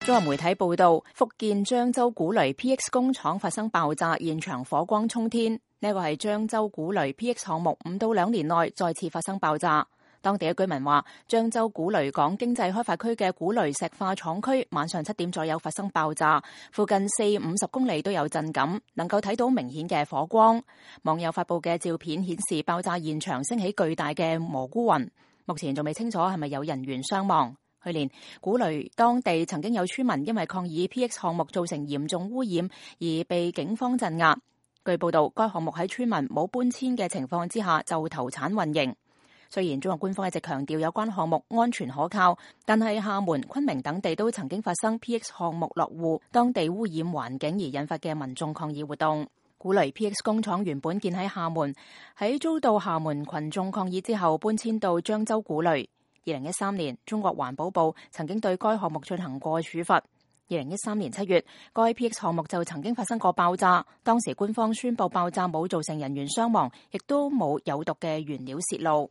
中國媒體報道，福建漳州古雷 PX 工廠發生爆炸，現場火光衝天。呢個係漳州古雷 PX 項目5到2年內再次發生爆炸。當地嘅居民話，漳州古雷港經濟開發區嘅古雷石化廠區晚上7點左右發生爆炸，附近40-50公里都有震感，能夠睇到明顯嘅火光。網友發布嘅照片顯示，爆炸現場升起巨大嘅蘑菇雲，目前仲未清楚係咪有人員傷亡。去年古雷當地曾經有村民因為抗議 PX 項目造成嚴重污染而被警方鎮壓。據報道，該項目喺村民冇搬遷嘅情況之下就投產運營。雖然中國官方一直強調有關項目安全可靠，但係廈門、昆明等地都曾經發生 PX 項目落戶當地污染環境而引發嘅民眾抗議活動。古雷 PX 工廠原本建喺廈門，喺遭到廈門群眾抗議之後搬遷到漳州古雷。2013年，中國環保部曾經對該項目進行過處罰。2013年7月，該 PX 項目就曾經發生過爆炸，當時官方宣布爆炸冇造成人員傷亡，亦都冇有毒嘅原料洩露。